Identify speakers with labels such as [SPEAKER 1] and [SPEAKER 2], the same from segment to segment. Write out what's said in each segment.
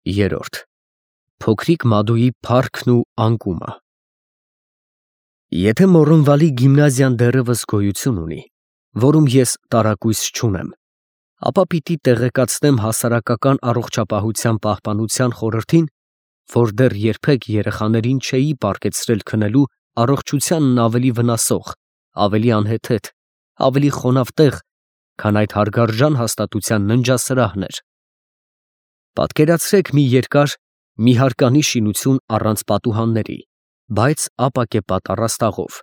[SPEAKER 1] Երորդ Փոքրիկ Մադուի փառքն ու անկումը։ Եթե Մոռոնվալի գիմնազիան դեռևս գոյություն ունի, որում ես տարակույս չունեմ, ապա պիտի տեղեկացնեմ հասարակական առողջապահության պահպանության խորհրդին, որ դեռ երբեք երեխաներին չէի պարգևցրել քնելու առողջությանն ավելի վնասող, ավելի անհեթեթ, ավելի խոնավ տեղ, քան այդ հարգարժան հաստատության ննջասրահն էր։ Պատկերացրեք մի երկար, մի հարկանի շինություն առանց պատուհանների, բայց ապակեպատ առաստաղով,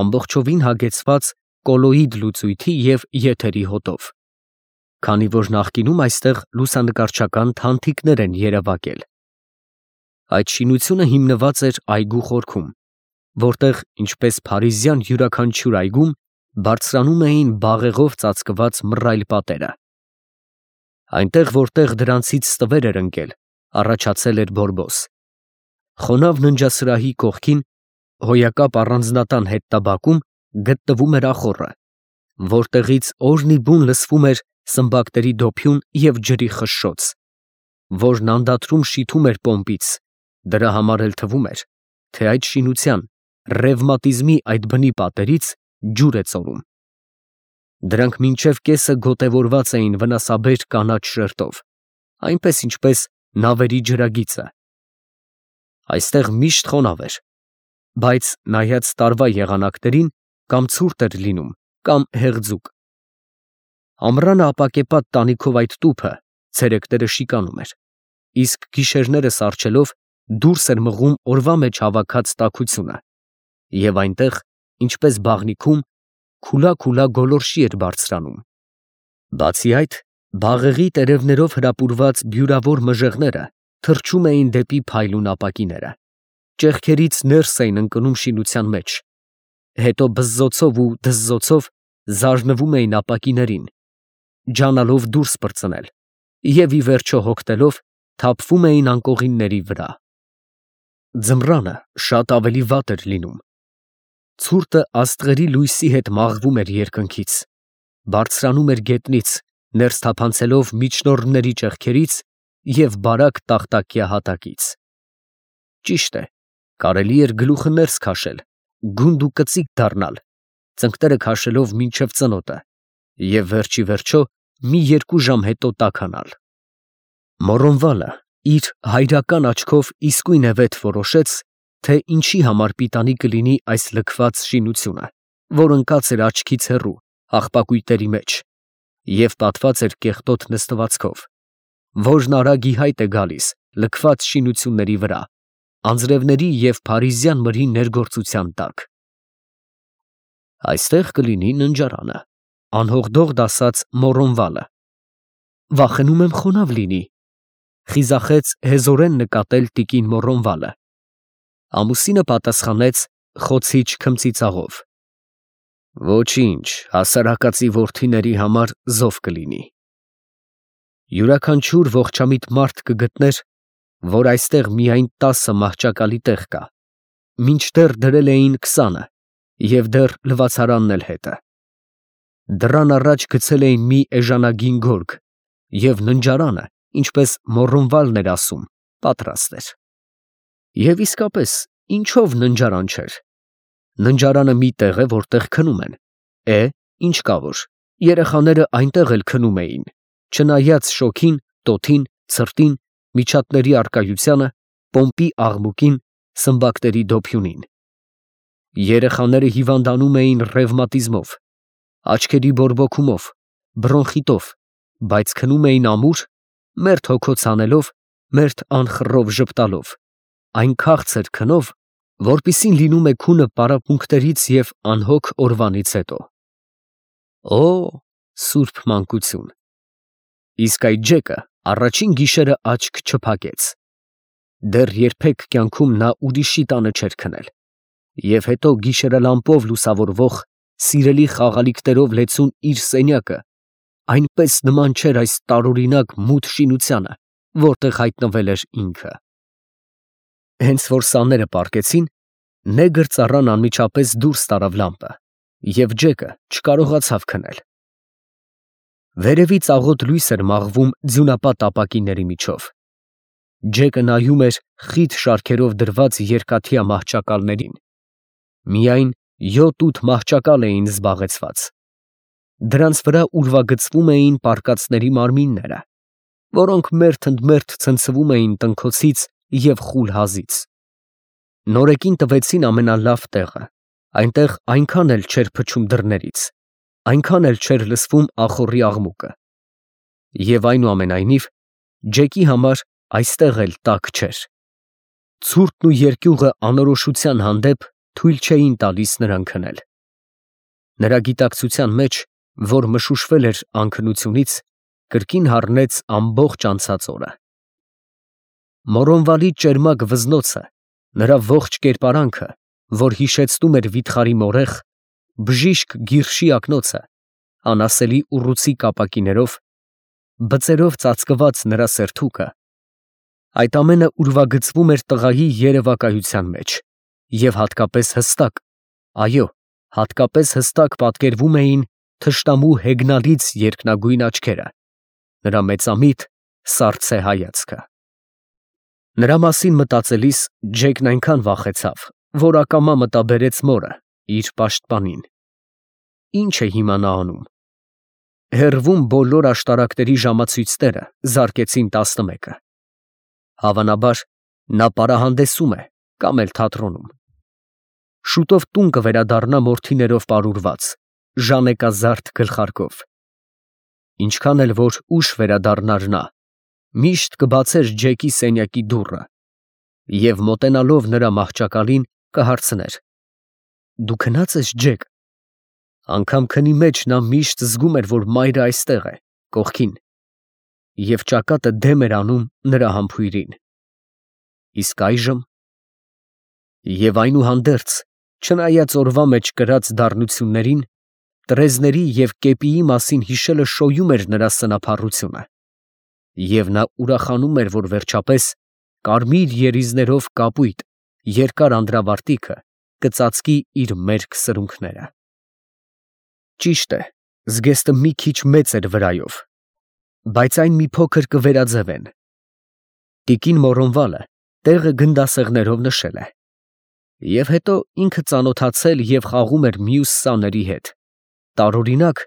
[SPEAKER 1] ամբողջովին հագեցված կոլոիդ լուծույթի և եթերի հոտով, քանի որ նախկինում այստեղ լուսանկարչական թանթիկներ են երևակել։ Այդ շինությունը հիմնված էր այգու խորքում, որտեղ, ինչպես փարիզյան յուրաքանչյուր այգում, բարձրանում էին բաղեղով ծածկված մռայլ պատերը։ Այնտեղ, որտեղ դրանցից ստվեր էր ընկել, առաջացել էր բորբոս։ Խոնավ ննջասրահի կողքին, հոյակապ առանձնատան հետնաբակում գտնվում էր ախոռը, որտեղից օրնիբուն լսվում էր սմբակների դոփյուն և ջրի խշշոց, որն անդադրում շիթում էր պոմպից, դրա համար էլ թվում էր, թե այդ շինության, ռևմատիզմի այդ բնի պատերից ջուր է ծորում։ Դրանք մինչև կեսը գոտևորված էին վնասաբեր կանաչ շերտով, այնպես ինչպես նավերի ջրագիծը։ Այստեղ միշտ խոնավ էր, բայց նայած տարվա եղանակներին կամ ցուրտ էր լինում, կամ հեղձուկ։ Ամռանը ապակեպատ տանիքով այդ տուփը ցերեկները շիկանում էր, իսկ գիշերները սառչելով դուրս էր մղում օրվա մեջ հավաքած տաքությունը, և այնտեղ, ինչպես բաղնիքում, քուլա գոլորշի էր բարձրանում։ Բացի այդ, բաղեղի տերևներով հրապուրված բյուրավոր մժեղները թռչում էին դեպի փայլուն ապակիները, ճեղքերից ներս էին ընկնում շինության մեջ, հետո բզզոցով ու դզզոցով զարնվում էին ապակիներին, ջանալով դուրս պրծնել, և ի վերջո հոգնելով թափվում էին անկողինների վրա։ Ձմռանը շատ ավելի վատ էր լինում։ Ցուրտը աստղերի լույսի հետ մաղվում էր երկնքից, բարձրանում էր գետնից, ներս թափանցելով միջնորդների ճեղքերից և բարակ տախտակյա հատակից։ Ճիշտ է, կարելի էր գլուխը ներս քաշել, գունդ ու կծիկ դառնալ, ծնկները քաշելով մինչև ծնոտը, և վերջիվերջո մի 2 ժամ հետո տաքանալ։ Մոռոնվալը իր հայրական աչքով իսկույնևեթ որոշեց, թե ինչի համար պիտանի կլինի այս լքված շինությունը, որ ընկած էր աչքից հեռու, աղբակույտերի մեջ, և պատված էր կեղտոտ նստվածքով, որն արագ ի հայտ է գալիս լքված շինությունների վրա, անձրևների և փարիզյան մրի ներգործության տակ։ Այստեղ կլինի ննջարանը, անհողդողդ ասաց Մոռոնվալը։ Վախենում եմ խոնավ լինի, խիզախեց հեզորեն նկատել տիկին Մոռոնվալը։ Ամուսինը պատասխանեց խոցիչ քմծիծաղով. Ոչինչ, հասարակածի որդիների համար զով կլինի։ Յուրաքանչյուր ողջամիտ մարդ կգտներ, որ այստեղ միայն 10 մահճակալի տեղ կա, մինչդեռ դրել էին 20-ը և դեռ լվացարանն էլ հետը։ Դռան առաջ գցել էին մի էժանագին գորգ, և ննջարանը, ինչպես Մոռոնվալն էր ասում, պատրաստ էր։ Եվ իսկապես, ինչով ննջարան չէր։ Ննջարանը մի տեղ է, որտեղ քնում են, ինչ կա որ, երեխաները այնտեղ էլ քնում էին, չնայած շոգին, տոթին, ցրտին, միջատների առկայությանը, պոմպի աղմուկին, սմբակների դոփյունին։ Երեխաները հիվանդանում էին ռևմատիզմով, աչքերի բորբոքումով, բրոնխիտով, բայց քնում էին ամուր, մերթ հոգոց անելով, մերթ անխռով ժպտալով, այն քաղցր քնով, որպիսին լինում է քունը պարապմունքներից և անհոգ օրվանից հետո։ Օ, սուրբ մանկություն։ Իսկ այդ ջեկը առաջին գիշերը աչք չփակեց։ Դեռ երբեք կյանքում նա ուրիշի տանը չէր քնել, և հետո գիշերալամպով լուսավորվող, սիրելի խաղալիքներով լեցուն իր սենյակը այնպես նման չէր այս տարօրինակ մութ շինությանը, որտեղ հայտնվել էր ինքը։ Հենց որ սաները պառկեցին, նեգր ծառան անմիջապես դուրս տարավ լամպը, և ջեկը չկարողացավ քնել։ Վերևից աղոտ լույս էր մաղվում ձյունապատ ապակիների միջով։ Ջեկը նայում էր խիտ շարքերով դրված երկաթյա մահճակալներին. միայն 7-8 մահճակալ էին զբաղեցված. դրանց վրա ուրվագծվում էին պարկածների մարմինները, որոնք մերթ ընդ մերթ ցնցվում էին տնքոցից և խուլ հազից. նորեկին տվեցին ամենալավ տեղը, այնտեղ այնքան էլ չէր փչում դռներից, այնքան էլ չէր լսվում ախոռի աղմուկը, և այնուամենայնիվ Ջեկի համար այստեղ էլ տաք չէր. ցուրտն ու երկյուղը անորոշության հանդեպ թույլ չէին տալիս նրան քնել. նրա գիտակցության մեջ, որ մշուշվել էր անքնությունից, կրկին հառնեց ամբողջ անցած օրը. Մորոնվալի ճերմակ վզնոցը, նրա ողջ կերպարանքը, որ հիշեցնում էր վիթխարի մորեխ, բժիշկ գիրշի ակնոցը, անասելի ուռուցի կապակիներով, բծերով ծածկված նրա սերթուկը, այդ ամենը ուրվագծվում էր տղայի երևակայության մեջ և հատկապես հստակ, այո, հատկապես հստակ պատկերվում էին թշնամու հեգնալից երկնագույն աչքերը, նրա մեծամիտ, սառցե հայացքը. նրա մասին մտածելիս Ջեկն այնքան վախեցավ, որ ակամա մտաբերեց մորը, իր պաշտպանին. ի՞նչ է հիմա նա անում. հեռվում բոլոր աշտարակների ժամացույցները զարկեցին 11-ը. հավանաբար նա պարահանդեսում է կամ էլ թատրոնում. շուտով տուն կվերադառնա մորթիներով պարուրված, ժանեկազարդ գլխարկով. ինչքան էլ որ ուշ վերադառնար նա, միշտ կբացեր Ջեկի սենյակի դուռը և մոտենալով նրա մահճակալին կհարցներ. դու քնա՞ծ ես, Ջեք. անգամ քնի մեջ նա միշտ զգում էր, որ մայրը այստեղ է, կողքին, և ճակատը դեմ էր անում նրա համբույրին. իսկ այժմ… Եվ այնուհանդերձ, չնայած օրվա մեջ կրած դառնություններին, տրեզների և կեպիի մասին հիշելը շոյում էր նրա սնափառությունը, և նա ուրախանում էր, որ վերջապես կարմիր երիզներով կապույտ երկար անդրավարտիքը կծածկի իր մերկ սրունքները. ճիշտ է, զգեստը մի քիչ մեծ էր վրայով, բայց այն մի փոքր կվերաձևեն. տիկին Մորոնվալը տեղը գնդասեղներով նշել է, և հետո ինքը ծանոթացել և խաղում էր մյուս սաների հետ, տարօրինակ,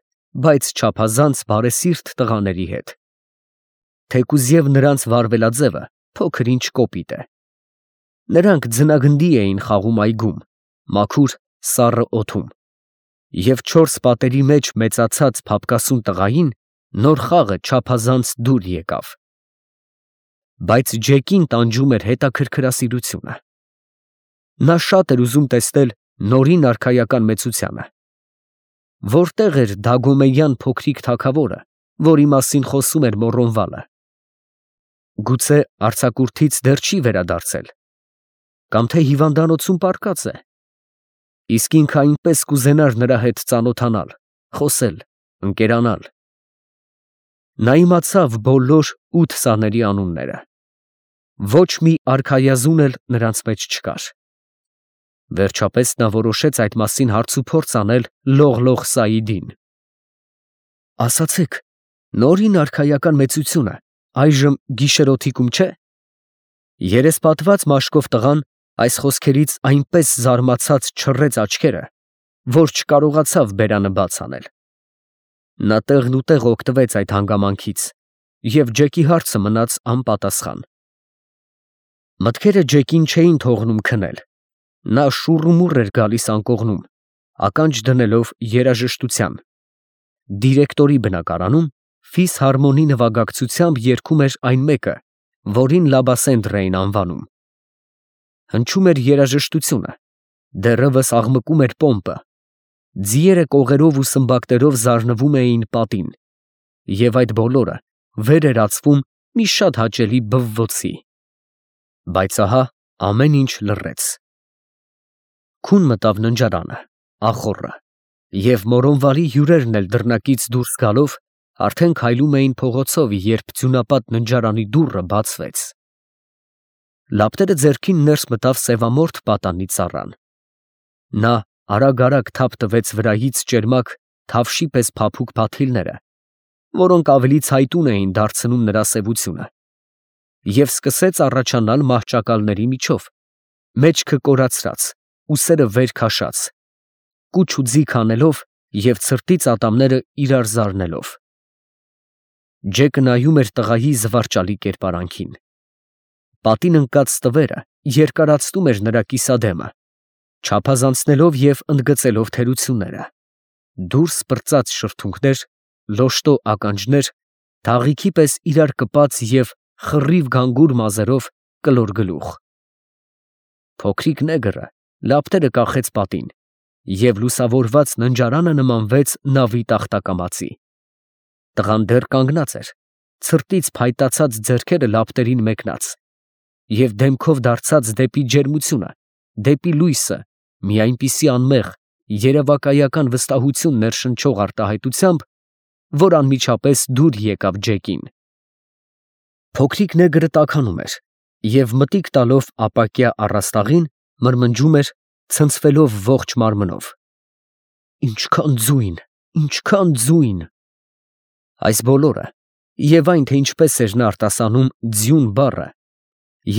[SPEAKER 1] բայց չափազանց բարեսիրտ տղաների հետ, թեկուզև նրանց վարվելաձևը փոքր֊ինչ կոպիտ է. նրանք ձնագնդի էին խաղում այգում, մաքուր, սառը օդում, և 4 պատերի մեջ մեծացած փափկասուն տղային նոր խաղը չափազանց դուր եկավ. բայց Ջեկին տանջում էր հետաքրքրասիրությունը. նա շատ էր ուզում տեսնել նորին արքայական մեծությանը. որտեղ էր Դագոմեյան փոքրիկ թագավորը, որի մասին խոսում էր Մորոնվալը. գուցե արձակուրդից դեռ չի վերադարձել, կամ թե հիվանդանոցում պառկած է, իսկ ինքը այնպես կուզենար նրա հետ ծանոթանալ, խոսել, ընկերանալ. նա իմացավ բոլոր 8 սաների անունները, ոչ մի արքայազուն էլ նրանց մեջ չկար. վերջապես նա որոշեց այդ մասին հարցուփորձ անել Լողլող Սայիդին. ասացեք, նորին արքայական մեծությունը այժմ գիշերօթիկում չէ՞։ Երեսպատված մաշկով տղան այս խոսքերից այնպես զարմացած չռեց աչքերը, որ չկարողացավ բերանը բաց անել. նա տեղնուտեղ օգտվեց այդ հանգամանքից, և Ջեկի հարցը մնաց անպատասխան. մտքերը Ջեկին չէին թողնում քնել, նա շուռումուռ էր գալիս անկողնում, ականջ դնելով երաժշտության. դիրեկտորի բնակարանում ֆիսհարմոնի նվագակցությամբ երգում էր այն մեկը, որին Լաբասենդր էին անվանում. հնչում էր երաժշտությունը, դեռևս աղմկում էր պոմպը, ձիերը կողերով ու սմբակներով զարնվում էին պատին, և այդ բոլորը վեր էր ածվում մի շատ հաճելի բվվոցի. բայց ահա ամեն ինչ լռեց. քուն մտավ ննջարանը, ախոռը, և Մորոնվալի հյուրերն էլ դռնակից դուրս գալով արդեն քայլում էին փողոցով, երբ ձյունապատ ննջարանի դուռը բացվեց. լապտերը ձեռքին ներս մտավ սևամորթ պատանի ծառան. նա արագ թափ տվեց վրայից ճերմակ թավշի պես փափուկ փաթիլները, որոնք ավելի ցայտուն էին դարձնում նրա սևությունը, և սկսեց առաջանալ մահճակալների միջով, մեջքը կորացրած, ուսերը վեր քաշած, կուչ ու ձիգ անելով և ցրտից ատամները իրար զարնելով։ Ջեկը նայում էր տղայի զվարճալի կերպարանքին։ Պատին ընկած տվերը երկարացնում էր նրա կիսադեմը, չափազանցնելով և ընդգծելով թերությունները. դուրս պրծած շրթունքներ, լոշտո ականջներ, թաղիքի պես իրար կպած և խռիվ գանգուր մազերով կլոր գլուխ։ Փոքրիկ նեգրը լապտերը կախեց պատին, և լուսավորված ննջարանը նմանվեց նավի տախտակամածի։ Տղան դեռ կանգնած էր, ցրտից փայտացած ձեռքերը լապտերին մեկնած, և դեմքով դարձած դեպի ջերմությունը, դեպի լույսը, մի այնպիսի անմեղ, երևակայական վստահություն ներշնչող արտահայտությամբ, որ անմիջապես դուր եկավ Ջեկին։ Փոքրիկ նեգրը տաքանում էր և մտիկ տալով ապակյա առաստաղին, մրմնջում էր, ցնցվելով ողջ մարմնով. «Ինչքան ձույն, ինչքան ձույն»։ Այս բոլորը, և այն, թե ինչպես էր նա արտասանում «ձյուն» բառը,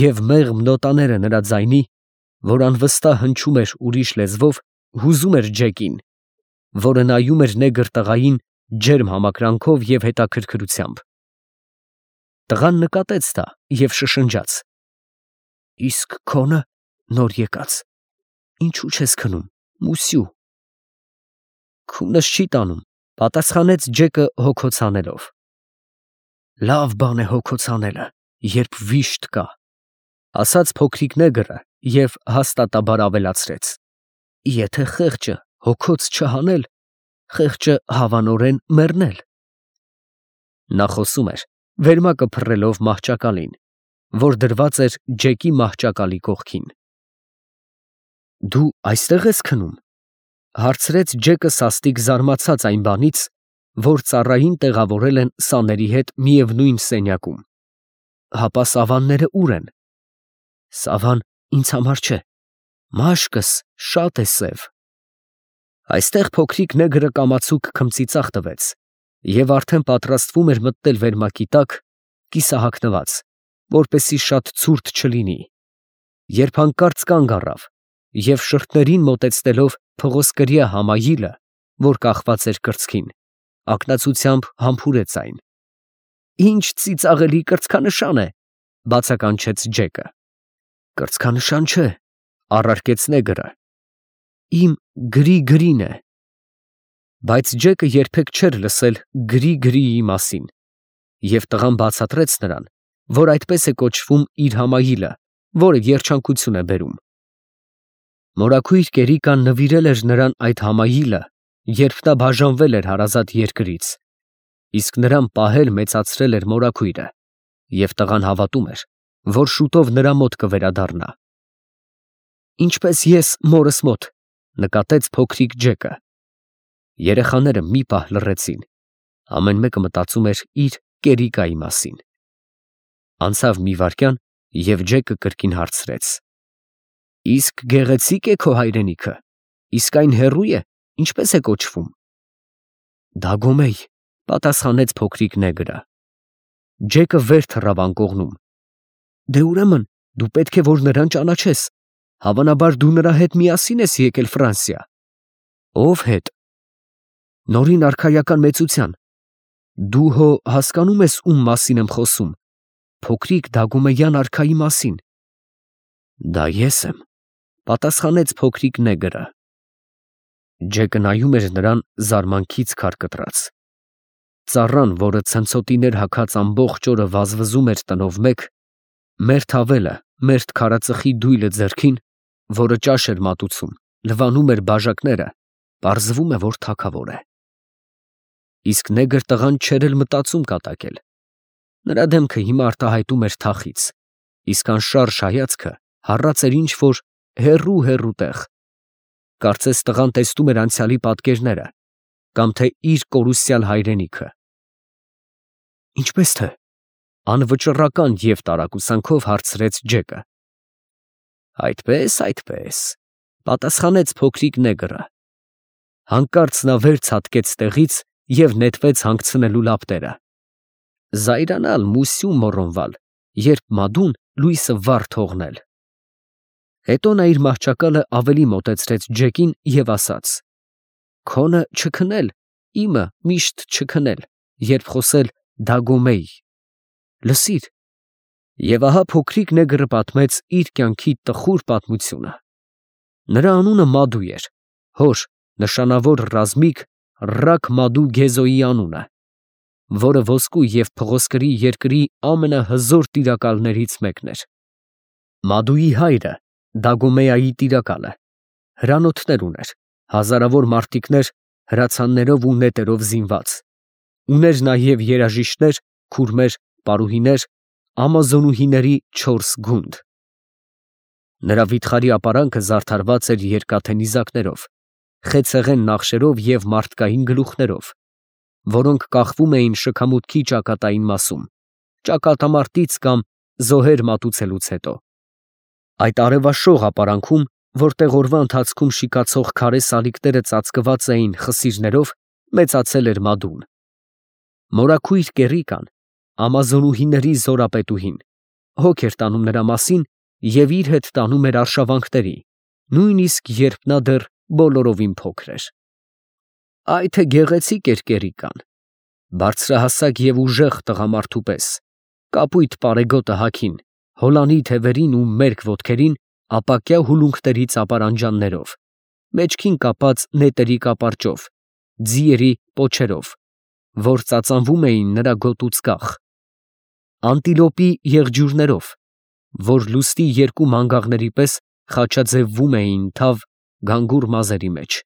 [SPEAKER 1] և մեղմ նոտաները նրա ձայնի, որ անվստահ հնչում էր ուրիշ լեզվով, հուզում էր Ջեկին, որը նայում էր նեգր տղային ջերմ համակրանքով և հետաքրքրությամբ։ Տղան նկատեց դա և շշնջաց. «Իսկ քոնը, նոր եկած, ինչու չես քնում, մուսյու»։ «Քունս չի տանում», պատասխանեց Ջեկը հոգոց հանելով։ «Լավ բան է հոգոց հանելը, երբ վիշտ կա», ասաց փոքրիկ նեգրը և հաստատաբար ավելացրեց. «Եթե խեղճը հոգոց չհանել, խեղճը հավանորեն մեռնել»։ Նա խոսում էր, վերմակը փռելով մահճակալին, որ դրված էր Ջեկի մահճակալի կողքին։ «Դու այստեղ ես քնում», հարցրեց Ջեկը սաստիկ զարմացած այն բանից, որ ծառային տեղավորել են սաների հետ միևնույն սենյակում։ «Հապա սավանները ուր են»։ «Սավան ինձ համար չէ, մաշկս շատ է սև»։ Այստեղ փոքրիկ նեգրը կամացուկ քմծիծաղ տվեց և արդեն պատրաստվում էր մտնել վերմակի տակ, կիսահագնված, որպեսզի շատ ցուրտ չլինի, երբ հանկարծ կանգ առավ և շրթներին մոտեցնելով փղոսկրյա համայիլը, որ կախված էր կրծքին, ակնածությամբ համբուրեց այն։ «Ինչ ծիծաղելի կրծքանշան է», բացականչեց Ջեկը։ «Կրծքանշան չէ», առարկեց նեգրը, «իմ գրի֊գրին է»։ Բայց Ջեկը երբեք չէր լսել գրի֊գրիի մասին, և տղան բացատրեց նրան, որ այդպես է կոչվում իր համայիլը, որը երջանկություն է բերում։ Մորաքույր Կերիկան նվիրել էր նրան այդ համայիլը, երբ նա բաժանվել էր հարազատ երկրից, իսկ նրան պահել մեծացրել էր մորաքույրը, և տղան հավատում էր, որ շուտով նրա մոտ կվերադառնա։ «Ինչպես ես մորս մոտ», նկատեց փոքրիկ Ջեկը։ Երեխաները մի պահ լռեցին, ամեն մեկը մտածում էր իր Կերիկայի մասին։ Անցավ մի վայրկյան, և Ջեկը կրկին հարցրեց. «Իսկ գեղեցի՞կ է քո հայրենիքը, իսկ այն հեռու է, ինչպես է կոչվում»։ «Դագոմեյ», պատասխանեց փոքրիկ նեգրը։ Ջեկը վեր թռավ անկողնում։ «Դե ուրեմն դու պետք է որ նրան ճանաչես, հավանաբար դու նրա հետ միասին ես եկել Ֆրանսիա»։ «Ով հետ»։ «Նորին արքայական մեծության։ Դու հո հասկանում ես ում մասին եմ խոսում, փոքրիկ Դագոմեյան արքայի մասին»։ «Դա ես եմ», պատասխանեց փոքրիկ նեգրը։ Ջեկը նայում էր նրան զարմանքից քար կտրած։ Ծառան, որը ցնցոտիներ հագած ամբողջ օրը վազվզում էր տնով մեկ, մերթ ավելը, մերթ քարածխի դույլը ձեռքին, որը ճաշ էր մատուցում, լվանում էր բաժակները, պարզվում է, որ թագավոր է։ Իսկ նեգր տղան չէր էլ մտածում կատակել։ Նրա դեմքը հիմա արտահայտում էր թախիծ, իսկ անշարժ հայացքը հառած էր ինչ֊որ հեռու տեղ։ Կարծես տղան տեսնում էր անցյալի պատկերները, կամ թե իր կորուսյալ հայրենիքը։ «Ինչպես թե», անվճռական և տարակուսանքով հարցրեց Ջեկը։ «Այդպես, պատասխանեց փոքրիկ նեգրը։ Հանկարծ նա վեր ցատկեց տեղից և նետվեց հանգցնելու լապտերը։ «Զայրանալ, մուսյու մոռոնվալ, երբ Մադուն լույսը վառ թողնել։ Հետո նա իր մահճակալը ավելի մոտեցրեց Ջեկին և ասաց. «Քոնը չքնել, իմը միշտ չքնել, երբ խոսել Դագոմեի։ Լսիր»։ Եվ ահա փոքրիկ նեգրը պատմեց իր կյանքի տխուր պատմությունը։ Նրա անունը Մադու էր, հոր նշանավոր ռազմիկ Ռաք Մադու Գեզոյի անունը, որը ոսկու և փղոսկրի երկրի ամենահզոր տիրակալներից մեկն էր։ Մադուի հայրը Դագոմեայի տիրակալը հրանոթներ ուներ, հազարավոր մարտիկներ հրացաններով ու նետերով զինված, ուներ նաև երաժիշտներ, քուրմեր, պարուհիներ, ամազոնուհիների 4 գունդ։ Նրա վիթխարի ապարանքը զարդարված էր երկաթե նիզակներով, խեցեղեն նախշերով և մարդկային գլուխներով, որոնք կախվում էին շքամուտքի ճակատային մասում, ճակատամարտից կամ զոհեր մատուցելուց հետո։ Այդ արևաշող ապարանքում, որտեղ օրվա ընթացքում շիկացող քարե սալիկները ծածկված էին խսիրներով, մեծացել էր Մադուն։ Մորաքույր Կեռիկան, ամազոնուհիների զորապետուհին, հոգ էր տանում նրա մասին և իր հետ տանում էր արշավանքների, նույնիսկ երբ նա դեռ բոլորովին փոքր էր։ Այ թե գեղեցիկ էր Կեռիկան, բարձրահասակ և ուժեղ տղամարդու պես, կապույտ պարեգոտը հագին, հոլանի թևերին ու մերկ ոտքերին ապակյա հուլունքների ծապարանջաններով, մեջքին կապած նետերի կապարճով, ձիերի պոչերով, որ ծածանվում էին նրա գոտուց կախ, անտիլոպի եղջյուրներով, որ լուսնի երկու մանգաղների պես խաչաձևվում էին թավ գանգուր մազերի մեջ։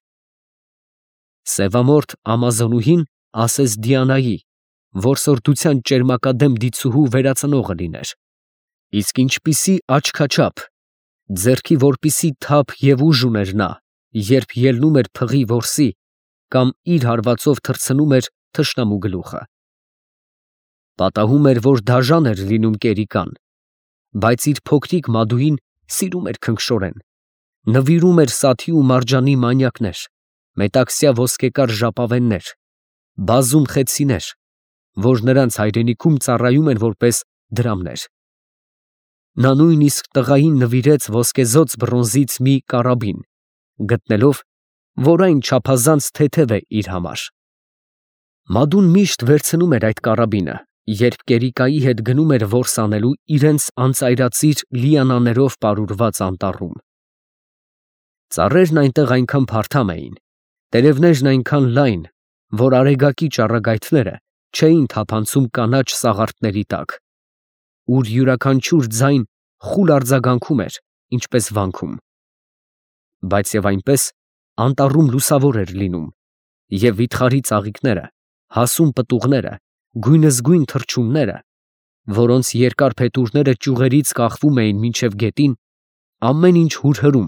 [SPEAKER 1] Սևամորթ ամազոնուհին ասես Դիանայի, որսորդության ճերմակադեմ դիցուհու վերածնողը լիներ, իսկ ինչպիսի աչքաչափ, ձեռքի որպիսի թափ և ուժ ուներ նա, երբ ելնում էր փղի որսի կամ իր հարվածով թռցնում էր թշնամու գլուխը։ Պատահում էր, որ դաժան էր լինում Կեռիկան, բայց իր փոքրիկ Մադուին սիրում էր քնքշորեն, նվիրում էր սաթի ու մարջանի մանյակներ, մետաքսյա ոսկեկար ժապավեններ, բազում խեցիներ, որ նրանց հայրենիքում ծառայում են որպես դրամներ։ Նա նույնիսկ տղային նվիրեց ոսկեզօծ բրոնզից մի կարաբին, գտնելով, որ այն չափազանց թեթև է իր համար։ Մադուն միշտ վերցնում էր այդ կարաբինը, երբ Կեռիկայի հետ գնում էր որս անելու իրենց անծայրածիր լիանաներով պարուրված անտառում։ Ծառերն այնտեղ այնքան փարթամ էին, տերևներն այնքան լայն, որ արեգակի ճառագայթները չէին թափանցում կանաչ սաղարթների տակ, ուր յուրաքանչյուր ձայն խուլ արձագանքում էր, ինչպես վանքում։ Բայց և այնպես անտառում լուսավոր էր լինում, և վիթխարի ծաղիկները, հասուն պտուղները, գույնզգույն թռչունները, որոնց երկար փետուրները ճյուղերից կախվում էին մինչև գետին, ամեն ինչ հուրհրում,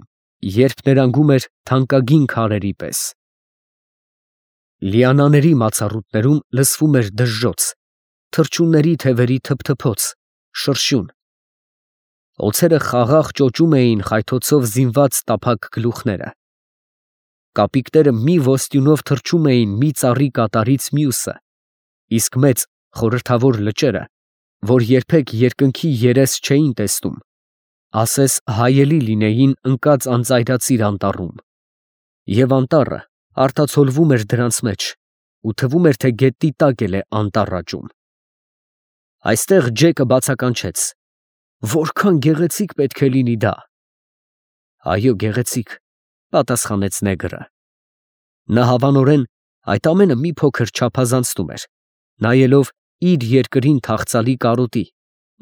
[SPEAKER 1] երբ ներանգում էր թանկագին քարերի պես։ Լիանաների մացառուտներում լսվում էր դժժոց, թռչունների թևերի թփթփոց, շրշյուն։ Օձերը խաղաղ ճոճում էին խայթոցով զինված տափակ գլուխները։ Կապիկները մի ոստյունով թռչում էին մի ծառի կատարից մյուսը, իսկ մեծ խորհրդավոր լճերը, որ երբեք երկնքի երես չէին տեսնում, ասես հայելի լինեին ընկած անծայրածիր անտառում, և անտառը արտացոլվում էր դրանց մեջ, ու թվում էր, թե գետնի տակ էլ է անտառ աճում։ Այստեղ Ջեկը բացականչեց. «Որքան գեղեցիկ պետք է լինի դա»։ «Այո, գեղեցիկ», պատասխանեց նեգրը։ Նա հավանորեն այդ ամենը մի փոքր չափազանցնում էր, նայելով իր երկրին թախծալի կարոտի,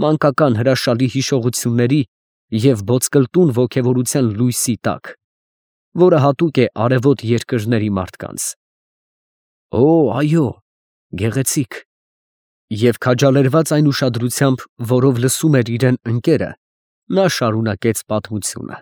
[SPEAKER 1] մանկական հրաշալի հիշողությունների և ոսկլտուն ոգևորության լույսի տակ, որը հատուկ է արևոտ երկրների մարդկանց։ «Օ, այո, գեղեցիկ»։ Եվ քաջալերված այն ուշադրությամբ, որով լսում էր իրեն ընկերը, նա շարունակեց պատմությունը։